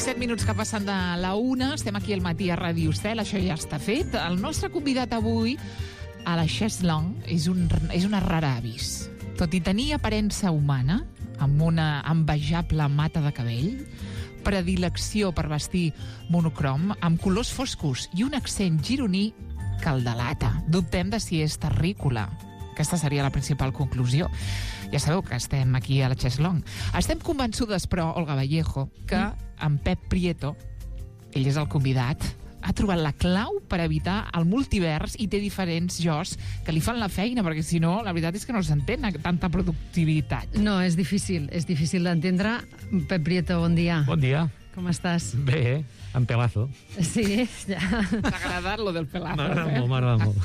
7 minuts que passen de la 1, estem aquí al matí a Ràdio Estel, això ja està fet. El nostre convidat avui a la chaise longue és una rara avis. Tot i tenir aparença humana, amb una envejable mata de cabell, predilecció per vestir monocrom, amb colors foscos i un accent gironí que el delata. Dubtem de si és terrícola. Aquesta seria la principal conclusió. Ja sabeu que estem aquí a la chaise longue. Estem convençudes, però, Olga Vallejo, que en Pep Prieto, ell és el convidat, ha trobat la clau per evitar el multivers i té diferents jos que li fan la feina, perquè si no, la veritat és que no s'entén tanta productivitat. No, és difícil d'entendre. Pep Prieto, bon dia. Bon dia. Com estàs? Bé, en pelazo. Sí, ja. T'ha agradat lo del pelazo, M'agrada molt.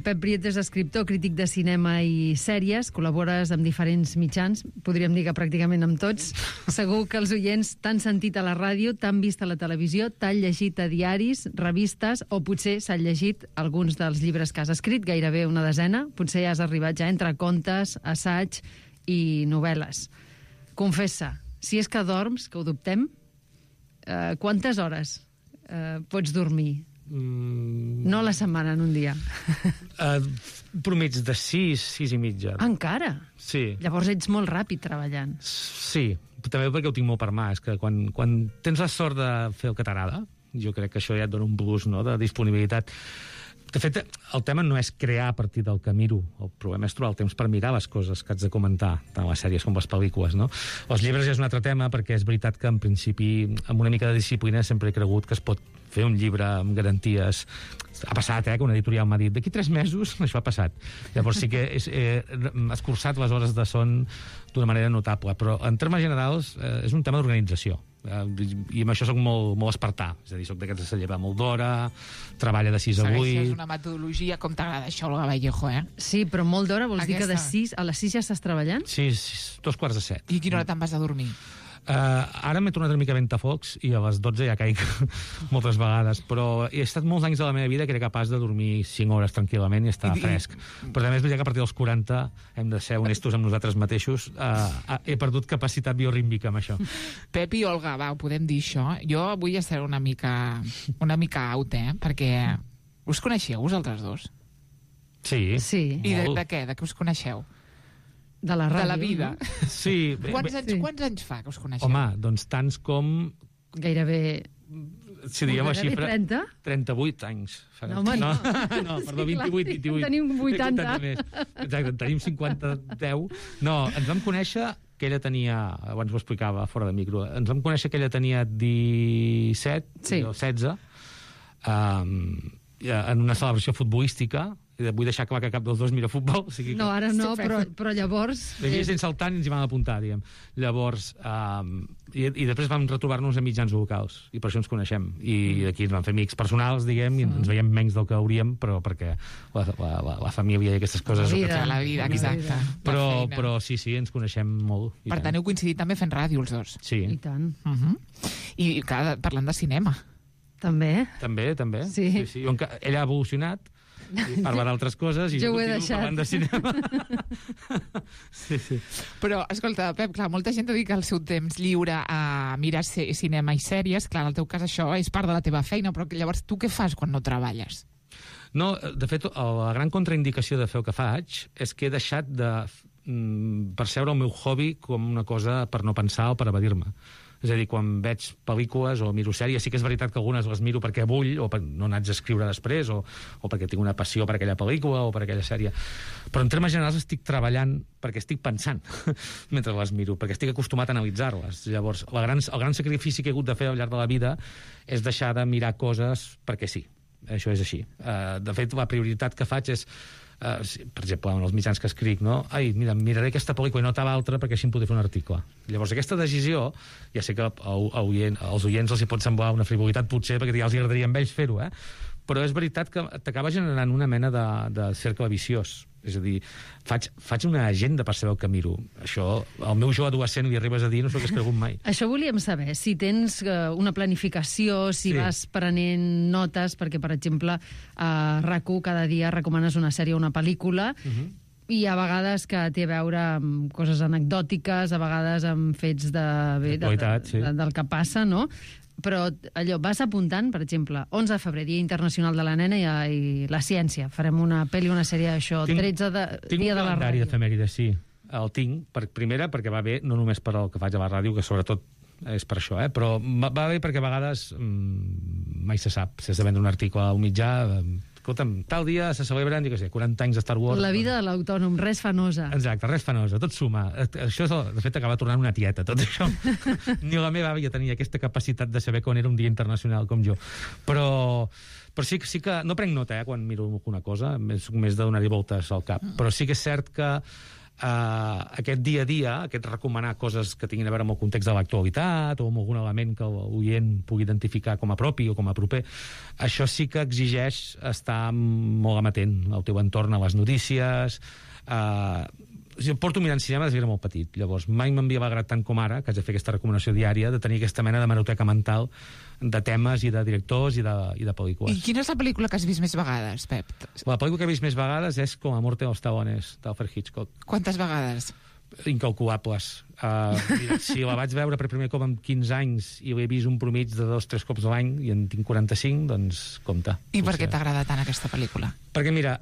Pep Prieto és escriptor, crític de cinema i sèries, col·labores amb diferents mitjans, podríem dir que pràcticament amb tots. Segur que els oients t'han sentit a la ràdio, t'han vist a la televisió, t'han llegit a diaris, revistes, o potser s'han llegit alguns dels llibres que has escrit, gairebé una desena. Potser ja has arribat ja entre contes, assaig i novel·les. Confessa, si és que dorms, que ho dubtem, quantes hores pots dormir? No a la setmana, en un dia. Promig de 6 i mitja. Encara? Sí. Llavors ets molt ràpid treballant. Sí, també perquè ho tinc molt per mà. És que quan tens la sort de fer el que t'agrada, jo crec que això ja et dona un plus, no?, de disponibilitat. De fet, el tema no és crear a partir del que miro. El problema és trobar el temps per mirar les coses que haig de comentar, tant les sèries com les pel·lícules, no? Els llibres ja és un altre tema, perquè és veritat que, en principi, amb una mica de disciplina, sempre he cregut que es pot fer un llibre amb garanties. Ha passat, que una editorial m'ha dit d'aquí 3 mesos això ha passat. Llavors sí que he escurçat les hores de son d'una manera notable, però en termes generals és un tema d'organització. I amb això soc molt espartà, és a dir, soc d'aquests que se lleva molt d'hora, treballa de 6 a 8... Segueixes una metodologia, com t'agrada això, Olga Vallejo, Sí, però molt d'hora vols dir que a les 6 ja estàs treballant? Sí, 2:45. I a quina hora te'n vas a dormir? Ara m'he tornat una mica ventafocs i a les 12 ja caic moltes vegades, però he estat molts anys de la meva vida que era capaç de dormir 5 hores tranquil·lament i estar fresc. Però també és veritat que a partir dels 40 hem de ser honestos amb nosaltres mateixos. He perdut capacitat biorítmica amb això. Pep i Olga, ho podem dir això. Jo vull ser una mica out, perquè us coneixeu vosaltres dos? Sí. I de què? De què us coneixeu? De la ràdio. De la vida. No? Sí. Quants anys fa que us coneixeu? Home, doncs tants com... Gairebé... Si diguem la xifra... 30? 38 anys. No, home, no, perdó, 28. Tenim 80. Exacte, tenim 50-10. No, ens vam conèixer que ella tenia... Abans ho explicava fora de micro. Ens vam conèixer que ella tenia 17 o 16 en una celebració futbolística. I vull deixar clar que cap dels dos mira futbol. O sigui que... No, ara no, però llavors... Sense el tant ens hi vam apuntar, diguem. Llavors, i després vam retrobar-nos a mitjans locals, i per això ens coneixem. I aquí ens vam fer amics personals, diguem, i ens veiem menys del que hauríem, però perquè la família i aquestes coses... La vida, exacte. Però sí, ens coneixem molt. Per tant, heu coincidit també fent ràdio, els dos. Sí. I tant. I parlant de cinema. També. També. Sí. Ella ha evolucionat, i parla d'altres coses i jo continuo parlant de cinema. Sí. Però, escolta, Pep, clar, molta gent dedica el seu temps lliure a mirar cinema i sèries. Clar, en el teu cas això és part de la teva feina, però llavors tu què fas quan no treballes? No, de fet, la gran contraindicació de fer el que faig és que he deixat de percebre el meu hobby com una cosa per no pensar o per evadir-me. És a dir, quan veig pel·lícules o miro sèries, sí que és veritat que algunes les miro perquè vull, o no n'haig d'escriure després, o perquè tinc una passió per aquella pel·lícula o per aquella sèrie. Però en termes generals estic treballant perquè estic pensant mentre les miro, perquè estic acostumat a analitzar-les. Llavors, el gran sacrifici que he hagut de fer al llarg de la vida és deixar de mirar coses perquè sí. Això és així. De fet, la prioritat que faig és per exemple, en els mitjans que escric, no? Mira, miraré aquesta pel·lícula i no tal altra perquè així em podré fer un article. Llavors, aquesta decisió, ja sé que als oients els hi pot semblar una frivolitat, potser, perquè ja els agradaria a ells fer-ho, però és veritat que t'acaba generant una mena de cercle viciós. És a dir, faig una agenda per saber el que miro. Això, al meu jo adolescent li arribes a dir, no s'ho hagués cregut mai. Això volíem saber, si tens una planificació, si vas prenent notes, perquè, per exemple, a RAC1 cada dia recomanes una sèrie o una pel·lícula, I a vegades que té a veure amb coses anecdòtiques, a vegades amb fets del que passa, no? Però allò, vas apuntant, per exemple, 11 de febrer, Dia Internacional de la Nena i la Ciència. Farem una pel·li, una sèrie d'això. 13 de Dia de la Ràdio. Tinc un calendari d'efemèrides, sí. El tinc, primera, perquè va bé, no només per el que faig a la ràdio, que sobretot és per això, però va bé perquè a vegades mai se sap. Si has de vendre un article a un mitjà... Escolta'm, tal dia se celebren, 40 anys de Star Wars. La vida de l'autònom, res fanosa. Exacte, res fanosa, tot suma. Això, de fet, acaba tornant una tieta, tot això. Ni la meva àvia tenia aquesta capacitat de saber quan era un dia internacional com jo. Però sí que... No prenc nota, quan miro alguna cosa, més de donar-hi voltes al cap. Però sí que és cert que aquest dia a dia, aquest recomanar coses que tinguin a veure amb el context de l'actualitat o amb algun element que l'oient pugui identificar com a propi o com a proper, això sí que exigeix estar molt amatent al teu entorn, a les notícies. Jo porto mirant cinema des que era molt petit, llavors mai m'havia alegrat tant com ara, que haig de fer aquesta recomanació diària, de tenir aquesta mena de hemeroteca mental de temes i de directors i de pel·lícules. I quina és la pel·lícula que has vist més vegades, Pep? La pel·lícula que he vist més vegades és Com la muerte de los talones, d'Alfred Hitchcock. Quantes vegades? Incalculables. Mira, si la vaig veure per primer cop amb 15 anys i l'he vist un promig de 2-3 cops a l'any i en tinc 45, doncs compte. I per què t'agrada tant aquesta pel·lícula? Perquè mira,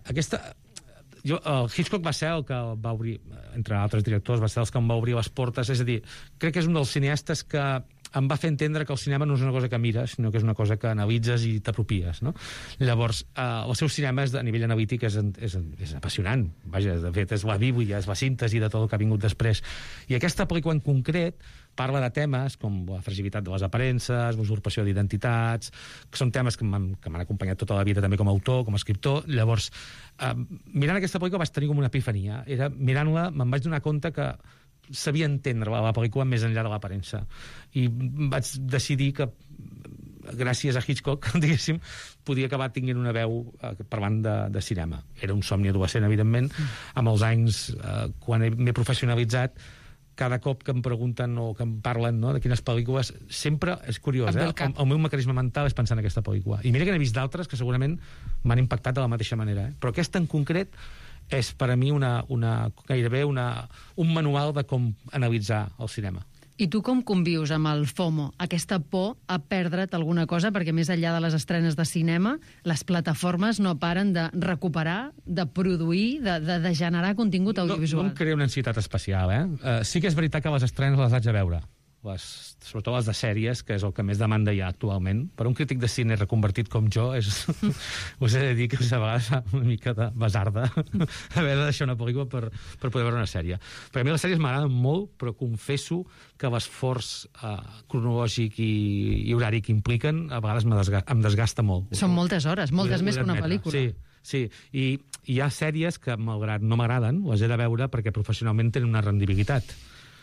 el Hitchcock va ser el que va obrir, entre altres directors, va ser els que em va obrir les portes. És a dir, crec que és un dels cineastes que em va fer entendre que el cinema no és una cosa que mires, sinó que és una cosa que analitzes i t'apropies, no? Llavors, el seu cinema a nivell analític és apassionant. Vaja, de fet, és la bíblia, és la síntesi de tot el que ha vingut després. I aquesta pel·lícula en concret parla de temes com la fragilitat de les aparences, l'usurpació d'identitats, que són temes que m'han acompanyat tota la vida també com a autor, com a escriptor. Llavors, mirant aquesta pel·lícula vaig tenir com una epifania. Mirant-la me'n vaig donar compte que sabia entendre la pel·lícula més enllà de l'aparença. I vaig decidir que gràcies a Hitchcock, diguéssim, podia acabar tinguent una veu parlant de cinema. Era un somni adolescent, evidentment. Amb els anys, quan m'he professionalitzat, cada cop que em pregunten o que em parlen de quines pel·lícules, sempre és curiós, el meu mecanisme mental és pensar en aquesta pel·lícula. I mira que n'he vist d'altres que segurament m'han impactat de la mateixa manera. Però aquesta en concret és per a mi gairebé un manual de com analitzar el cinema. I tu com convius amb el FOMO, aquesta por a perdre't alguna cosa, perquè més enllà de les estrenes de cinema, les plataformes no paren de recuperar, de produir, de generar contingut audiovisual? No em crea una ansietat especial, sí que és veritat que les estrenes les haig de veure, sobretot les de sèries, que és el que més demanda hi ha actualment. Per un crític de cine reconvertit com jo, us he de dir que a vegades fa una mica de basarda haver de deixar una pel·lícula per poder veure una sèrie. Perquè a mi les sèries m'agraden molt, però confesso que l'esforç cronològic i horari que impliquen a vegades em desgasta molt. Són moltes hores, moltes més que una pel·lícula. Sí. I hi ha sèries que, malgrat no m'agraden, les he de veure perquè professionalment tenen una rendibilitat.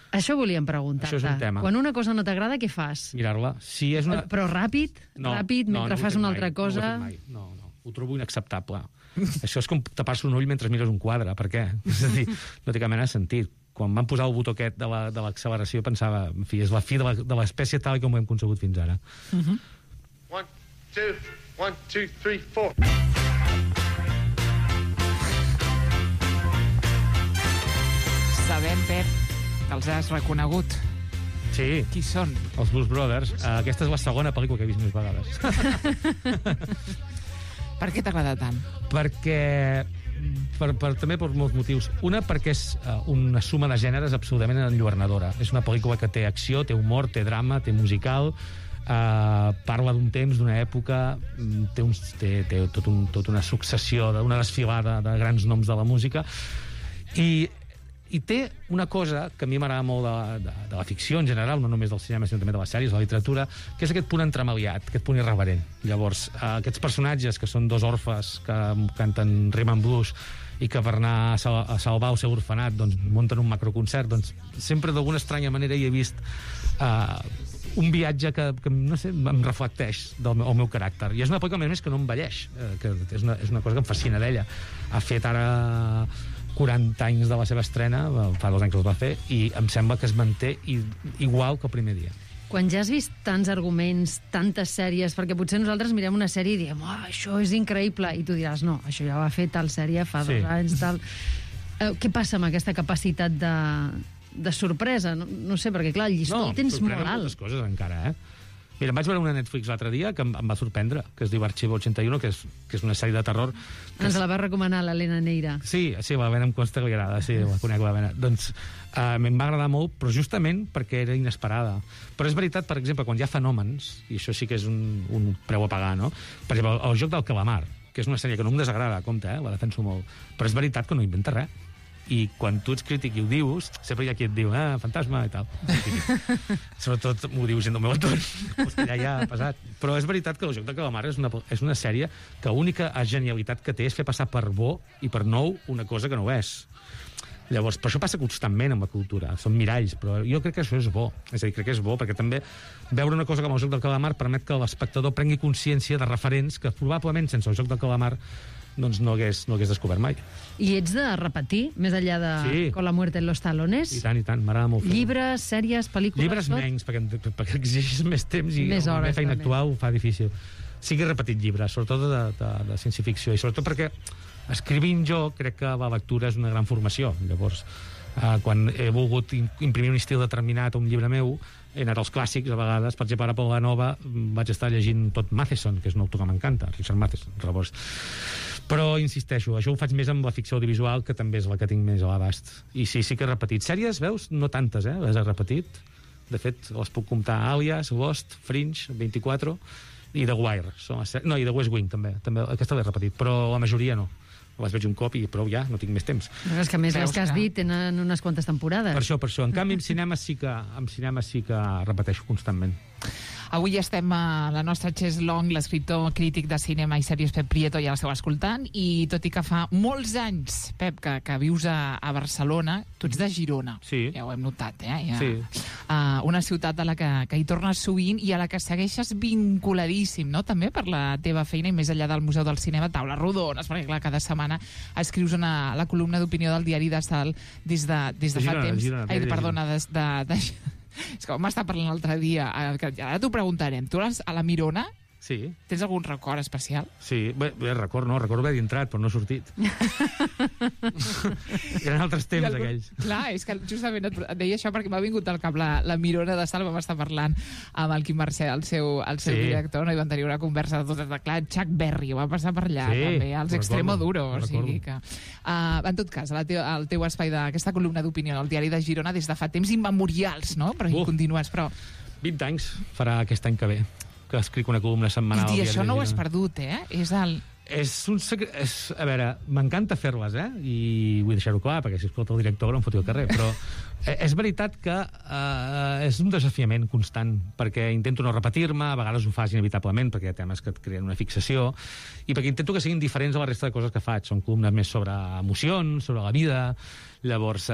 Això volíem preguntar-te. Això és un tema. Quan una cosa no t'agrada, què fas? Mirar-la. Si és una... Però ràpid, mentre fas una altra cosa... No, ho trobo inacceptable. Això és com tapar-se un ull mentre mires un quadre. Per què? És a dir, no té cap mena de sentit. Quan van posar el botó aquest de l'acceleració pensava, en fi, és la fi de l'espècie tal com ho hem concebut fins ara. 1, 2, 3, 4. Sabem, Pep, que els has reconegut. Sí. Qui són? Els Blues Brothers. Aquesta és la segona pel·lícula que he vist més vegades. Per què t'agrada tant? Perquè... també per molts motius. Una, perquè és una suma de gèneres absolutament enlluernadora. És una pel·lícula que té acció, té humor, té drama, té musical, parla d'un temps, d'una època, té tota una successió, una desfilada de grans noms de la música, i té una cosa que a mi m'agrada molt de la ficció en general, no només del cinema, sinó també de les sèries, de la literatura, que és aquest punt entremaliat, aquest punt irreverent. Llavors, aquests personatges, que són dos orfes que canten rhythm and blues i que per anar a salvar el seu orfenat doncs, munten un macroconcert, doncs sempre d'alguna estranya manera hi he vist un viatge que no sé, em reflecteix el meu caràcter. I és una pel·lícula, a més, que no envelleix, que és una cosa que em fascina d'ella. Ha fet ara 40 anys de la seva estrena, fa 2 anys que els va fer, i em sembla que es manté igual que el primer dia. Quan ja has vist tants arguments, tantes sèries, perquè potser nosaltres mirem una sèrie i diem, això és increïble, i tu diràs, no, això ja ho ha fet tal sèrie fa 2 anys, tal... Què passa amb aquesta capacitat de sorpresa? No sé, perquè clar, el llistó el tens molt alt. Moltes coses encara, Mira, em vaig veure una Netflix l'altre dia que em va sorprendre, que es diu Arxivo 81, que és una sèrie de terror. Ens la va recomanar l'Helena Neira. Sí, la Helena em consta que li agrada, sí, la conec la Helena. Doncs em va agradar molt, però justament perquè era inesperada. Però és veritat, per exemple, quan hi ha fenòmens, i això sí que és un preu a pagar, no? Per exemple, el joc del calamar, que és una sèrie que no em desagrada, compte, la defenso molt, però és veritat que no inventa res. I quan tu ets crític i ho dius, sempre hi ha qui et diu, fantasma i tal. Sobretot m'ho diu gent del meu entorn, que ja ha passat. Però és veritat que el joc de calamar és una sèrie que l'única genialitat que té és fer passar per bo i per nou una cosa que no ho és. Llavors, però això passa constantment amb la cultura, són miralls, però jo crec que això és bo. És a dir, crec que és bo, perquè també veure una cosa com el joc del calamar permet que l'espectador prengui consciència de referents que probablement sense el joc del calamar doncs no hagués descobert mai. I ets de repetir, més enllà de Con la muerte en los talones? I tant, m'agrada molt. Llibres, sèries, pel·lícules... Llibres menys, perquè exigeix més temps i més hores, la feina també. actual ho fa difícil. Sí que he repetit llibres, sobretot de ciència-ficció, i sobretot perquè escrivint jo crec que la lectura és una gran formació. Llavors, quan he volgut imprimir un estil determinat a un llibre meu, he anat als clàssics, a vegades, per exemple, ara per la nova vaig estar llegint tot Matheson, que és un autor que m'encanta, Richard Matheson, llavors. Però, insisteixo, això ho faig més amb la ficció audiovisual, que també és la que tinc més a l'abast. I sí que he repetit. Sèries, veus? No tantes, les he repetit. De fet, les puc comptar Alias, Lost, Fringe, 24 i The Wire. No, i The West Wing, també. Aquesta l'he repetit, però la majoria no. Les veig un cop i prou ja, no tinc més temps. No, és que a més les que has dit tenen unes quantes temporades. Per això. En canvi, en cinema sí que repeteixo constantment. Avui estem a la nostra Chess Long, l'escriptor crític de cinema i sèries Pep Prieto ja l'esteu escoltant, i tot i que fa molts anys, Pep, que vius a Barcelona, tu ets de Girona. Sí. Ja ho hem notat, Sí. Una ciutat a la que hi tornes sovint i a la que segueixes vinculadíssim, no?, també per la teva feina i més enllà del Museu del Cinema, taules rodones, perquè clar, cada setmana escrius la columna d'opinió del diari de Salt des de fa temps. És que m'està parlant l'altre dia, que ara t'ho preguntarem. Tu a la Mirona Sí. tens algun record especial? Sí, recordo haver entrat, però no he sortit. Eren altres temps, aquells. Clar, és que justament et deia això perquè m'ha vingut al cap la Mirona de Salt, vam estar parlant amb el Quim Mercè, el seu director, no? I van tenir una conversa de tot, clar, Chuck Berry va passar per allà, també, els Extremoduro, o sigui que... en tot cas, el teu espai d'aquesta columna d'opinió al diari de Girona des de fa temps immemorials, no? Però hi continues, però... 20 anys farà aquest any que ve, que escric una columna setmanal. I això no ho has perdut, És un secret... A veure, m'encanta fer-les, i vull deixar-ho clar, perquè si escolta el director no em foti al carrer, però és veritat que és un desafiament constant, perquè intento no repetir-me, a vegades ho fas inevitablement, perquè hi ha temes que et creen una fixació, i perquè intento que siguin diferents a la resta de coses que faig. Són columnes més sobre emocions, sobre la vida. Llavors,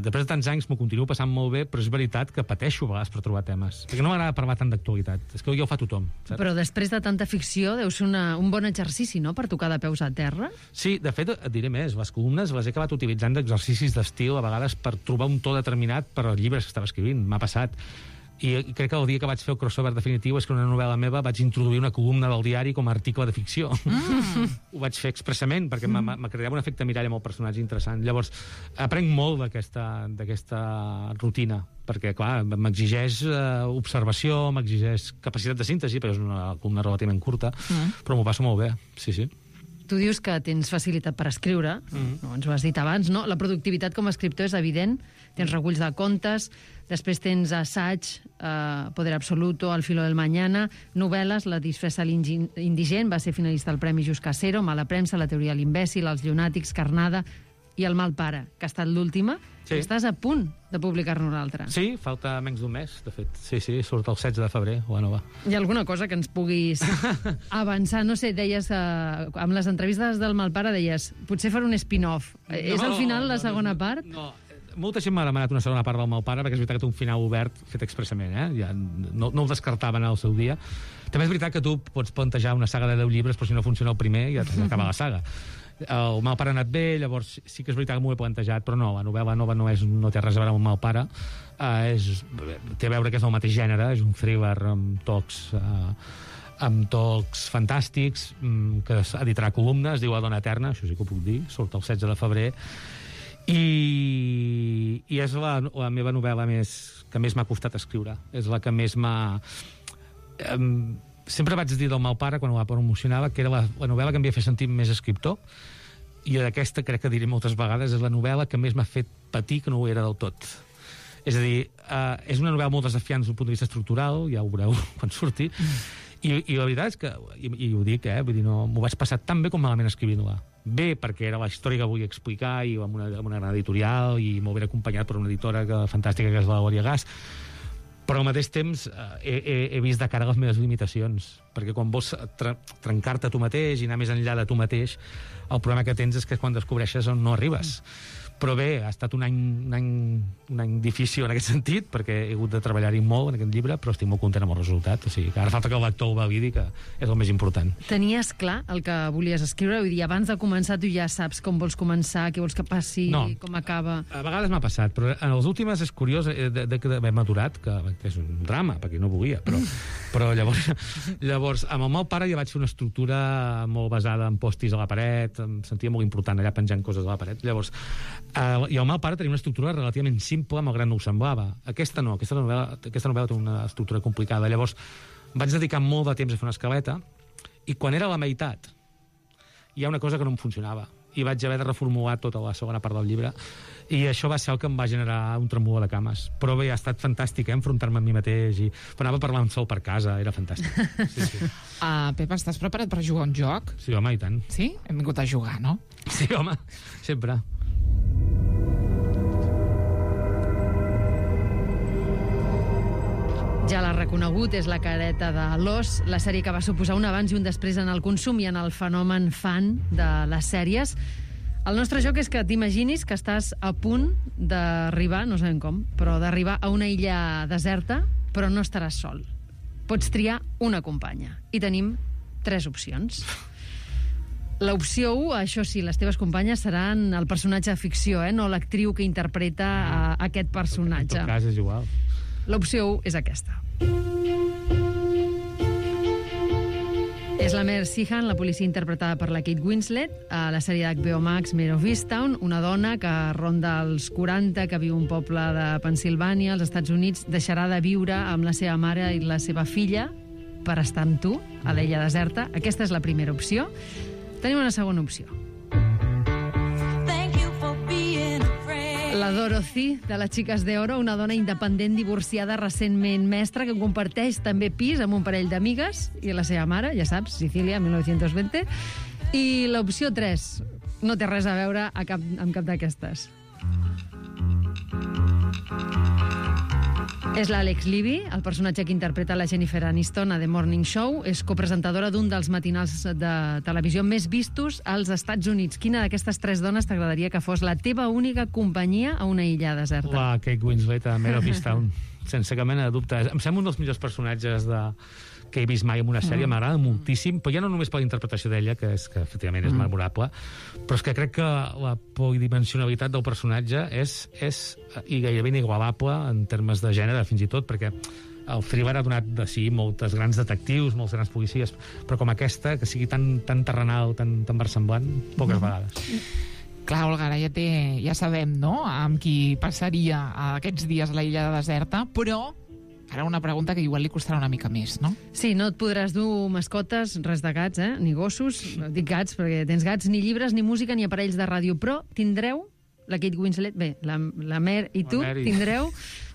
després de tants anys m'ho continuo passant molt bé, però és veritat que pateixo a vegades per trobar temes, perquè no m'agrada parlar tant d'actualitat. És que ja ho fa tothom, saps? Però després de tanta ficció deu ser un bon exercici, no?, per tocar de peus a terra. Sí, de fet, et diré més. Les columnes les he acabat utilitzant d'exercicis d'estil, a vegades per trobar un to determinat per als llibres que estava escrivint. M'ha passat. I crec que el dia que vaig fer el crossover definitiu és que una novel·la meva vaig introduir una columna del diari com a article de ficció. Ho vaig fer expressament perquè m'acreditava un efecte mirall amb el personatge interessant. Llavors, aprenc molt d'aquesta rutina, perquè, clar, m'exigeix observació, m'exigeix capacitat de síntesi, perquè és una columna relativament curta, però m'ho passo molt bé, sí. Tu dius que tens facilitat per escriure, no, ens ho has dit abans, no? La productivitat com a escriptor és evident, tens reculls de contes, després tens assaig, Poder Absoluto, Al filo del mañana, novel·les, La disfressa indigent, va ser finalista al Premi Just Casero, Mala premsa, La teoria de l'imbècil, Els llunàtics, Carnada i El mal pare, que ha estat l'última. Sí. Estàs a punt de publicar-ne una altra. Sí, falta menys d'un mes, de fet. Sí, surt el 16 de febrer, la nova. Hi ha alguna cosa que ens puguis avançar? No sé, deies, amb les entrevistes del Malpare, deies, potser faré un spin-off. És al final la segona part? No, molta gent m'ha demanat una segona part del Malpare, perquè és veritat que té un final obert fet expressament, Ja no ho descartaven al seu dia. També és veritat que tu pots plantejar una saga de 10 llibres, però si no funciona el primer ja t'acaba la saga. El Malpare ha anat bé, llavors sí que és veritat que m'ho he plantejat, però no, la novel·la nova no té res a veure amb el Malpare, té a veure que és del mateix gènere, és un thriller amb tocs fantàstics, que editarà columnes, es diu La dona eterna, això sí que ho puc dir, surt el 16 de febrer, I és la meva novel·la que més m'ha costat escriure. És la que més m'ha... Sempre vaig dir del meu pare, quan la promocionava, que era la novel·la que em havia fet sentir més escriptor, i d'aquesta, crec que diré moltes vegades, és la novel·la que més m'ha fet patir que no ho era del tot. És a dir, és una novel·la molt desafiant des d'un punt de vista estructural, ja ho veureu quan surti, i la veritat és que, i ho dic, vull dir, no, m'ho vaig passar tan bé com malament escrivint-la. Bé, perquè era la història que volia explicar, i amb una gran editorial, i molt ben acompanyat per una editora fantàstica que és la Glòria Gas, però al mateix temps he vist de cara les meves limitacions, perquè quan vols trencar-te tu mateix i anar més enllà de tu mateix, el problema que tens és que quan descobreixes on no arribes. Però bé, ha estat un any difícil en aquest sentit, perquè he hagut de treballar-hi molt en aquest llibre, però estic molt content amb el resultat. O sigui, que ara falta que el lector ho validi, que és el més important. Tenies clar el que volies escriure? Vull dir, abans de començar tu ja saps com vols començar, què vols que passi, com acaba? A vegades m'ha passat, però en les últimes és curiós d'haver madurat, que és un drama, perquè no volia, però llavors, amb el meu pare ja vaig fer una estructura molt basada en postis a la paret, em sentia molt important allà penjant coses a la paret. Llavors, i el meu pare tenia una estructura relativament simple, malgrat no ho semblava. Aquesta no, aquesta novel·la té una estructura complicada. Llavors vaig dedicar molt de temps a fer una escaleta, i quan era a la meitat hi ha una cosa que no em funcionava, i vaig haver de reformular tota la segona part del llibre, i això va ser el que em va generar un tremolor de cames. Però bé, ha estat fantàstic, enfrontar-me amb mi mateix, i anava parlant sol per casa, era fantàstic. Sí. Pep, estàs preparat per jugar un joc? Sí, home, i tant. Sí? Hem vingut a jugar, no? Sí, home, sempre. Ja l'ha reconegut, és la careta de l'os, la sèrie que va suposar un abans i un després en el consum i en el fenomen fan de les sèries. El nostre joc és que t'imaginis que estàs a punt d'arribar, no sabem com, però d'arribar a una illa deserta, però no estaràs sol. Pots triar una companya. I tenim 3 opcions. L'opció 1, això sí, les teves companyes seran el personatge de ficció, no l'actriu que interpreta aquest personatge. En tot cas és igual. L'opció 1 és aquesta. És la Mare Sheehan, la policia interpretada per la Kate Winslet, a la sèrie d'HBO Max Mare of Easttown, una dona que ronda els 40, que viu a un poble de Pennsilvània, als Estats Units, deixarà de viure amb la seva mare i la seva filla per estar amb tu, a l'illa deserta. Aquesta és la primera opció. Tenim una segona opció. La Dorothy, de les Xiques de Oro, una dona independent divorciada recentment mestra que comparteix també pis amb un parell d'amigues i la seva mare, ja saps, Sicília, 1920. I l'opció 3 no té res a veure amb cap d'aquestes. És l'Alex Levy, el personatge que interpreta la Jennifer Aniston a The Morning Show. És copresentadora d'un dels matinals de televisió més vistos als Estats Units. Quina d'aquestes 3 dones t'agradaria que fos la teva única companyia a una illa deserta? La Kate Winslet a Mare of Easttown, sense cap mena de dubte. Em sembla un dels millors personatges que he vist mai en una sèrie, m'agrada moltíssim, però ja no només per la interpretació d'ella, que efectivament és memorable, però és que crec que la polidimensionalitat del personatge és i gairebé inigualable en termes de gènere, fins i tot, perquè el thriller ha donat de si moltes grans detectius, molts grans policies, però com aquesta, que sigui tan terrenal, tan versemblant, poques vegades. Clar, Olga, ara ja sabem, no?, amb qui passaria aquests dies a la illa deserta, però ara una pregunta que igual li costarà una mica més, no? Sí, no et podràs dur mascotes, res de gats, ni gossos, dic gats perquè tens gats, ni llibres, ni música, ni aparells de ràdio, però tindreu, la Kate Winslet, bé, la Mare i tu, tindreu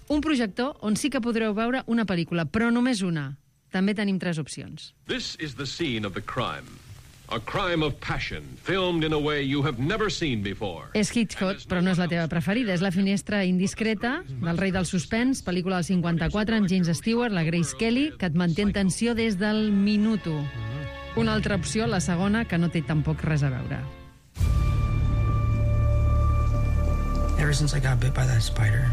un projector on sí que podreu veure una pel·lícula, però només una. També tenim 3 opcions. This is the scene of the crime. A crime of passion, filmed in a way you have never seen before. És Hitchcock, però no és la teva preferida. És La finestra indiscreta, del rei del suspens, pel·lícula del 54, amb James Stewart, la Grace Kelly, que et manté en tensió des del minut 1. Una altra opció, la segona, que no té tampoc res a veure. Ever since I got bit by that spider,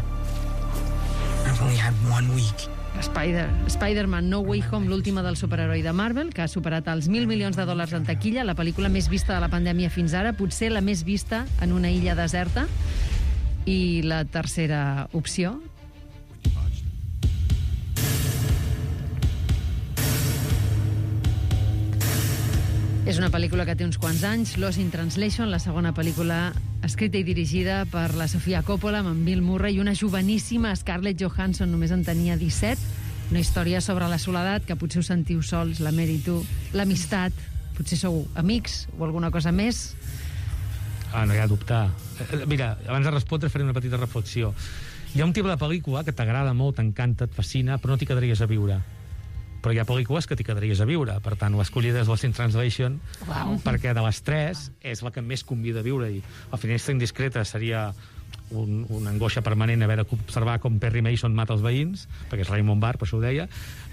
I've only had 1 week. Spider-Man No Way Home, l'última del superheroi de Marvel, que ha superat els $1.000 milions en taquilla, la pel·lícula més vista de la pandèmia fins ara, potser la més vista en una illa deserta. I la tercera opció... És una pel·lícula que té uns quants anys, Lost in Translation, la segona pel·lícula escrita i dirigida per la Sofia Coppola amb en Bill Murray i una joveníssima Scarlett Johansson, només en tenia 17. Una història sobre la soledat, que potser us sentiu sols, la Mary i tu, l'amistat, potser sou amics o alguna cosa més. No hi ha dubte. Mira, abans de respondre faré una petita reflexió. Hi ha un tipus de pel·lícula que t'agrada molt, t'encanta, et fascina, però no t'hi quedaries a viure. Però hi ha pel·lícules que t'hi quedaries a viure. Per tant, ho escollides Lost in Translation, perquè de les tres és la que més convida a viure. I La finestra indiscreta seria una angoixa permanent haver d'observar com Perry Mason mata els veïns, perquè és Raymond Barr, per això ho deia.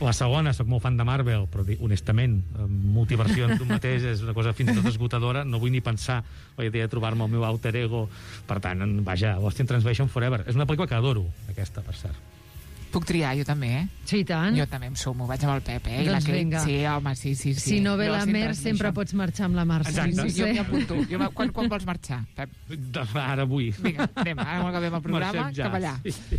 La segona, soc molt fan de Marvel, però honestament, multiversions d'un mateix és una cosa fins i tot esgotadora, no vull ni pensar la idea de trobar-me el meu alter ego. Per tant, vaja, Lost in Translation Forever. És una pel·lícula que adoro, aquesta, per cert. Puc triar, jo també, Sí, i tant. Jo també em sumo, vaig amb el Pep, I Doncs la Kate. vinga. Sí, home, sí. Si no ve la Lost in Mer, Translation. sempre pots marxar amb la Mar. Exacte. Jo m'hi apunto. Quan vols marxar, Pep? Ara vull. Vinga, anem, ara quan acabem el programa, Marxem ja. cap allà. Sí.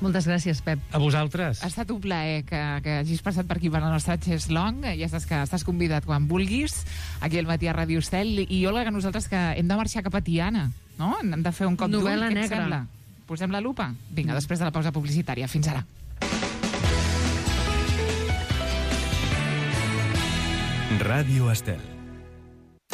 Moltes gràcies, Pep. A vosaltres. Ha estat un plaer que hagis passat per aquí per la nostra Chess Long. Ja saps que estàs convidat quan vulguis, aquí al matí a Ràdio Estel. I Olga, que nosaltres que hem de marxar cap a Tiana, no? Hem de fer un cop d'ull, Novel·la què et negra. sembla? Posem la lupa? Vinga, després de la pausa publicitària. Fins ara. Ràdio Estel.